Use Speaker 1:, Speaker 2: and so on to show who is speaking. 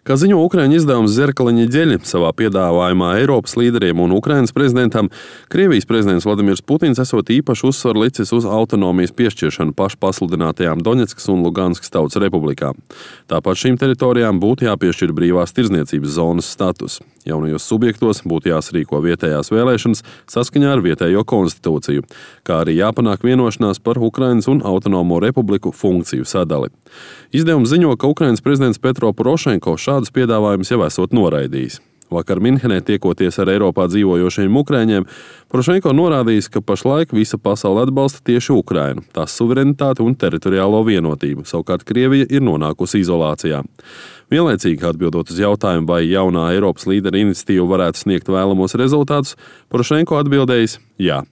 Speaker 1: Kā ziņo Ukraiņu izdevums Zerkala ņedeļa savā piedāvājumā Eiropas līderiem un Ukrainas prezidentam, Krievijas prezidents Vladimirs Putins esot īpašu uzsvaru licis uz autonomijas piešķiršanu pašpasludinātajām Doņetskas un Luganskas tautas republikām. Tāpat šīm teritorijām būtu jāpiešķir brīvās tirdzniecības zonas status. Jaunajos subjektos būtu jāsarīko vietējās vēlēšanas saskaņā ar vietējo konstitūciju, kā arī jāpanāk vienošanās par Ukrainas un autonomo republiku funkciju sadali. Izdevums ziņo, ka Ukrainas prezidents Petro Porošenko šādus piedāvājumus jau esot noraidījis. Vakar Minhenē tiekoties ar Eiropā dzīvojošiem ukrāņiem, Porošenko norādījis, ka pašlaik visa pasaule atbalsta tieši Ukrainu, tās suverenitāti un teritoriālo vienotību, savukārt Krievija ir nonākusi izolācijā. Vienlaicīgi atbildot uz jautājumu, vai jaunā Eiropas līdera iniciatīva varētu sniegt vēlamos rezultātus, Porošenko atbildējis jā.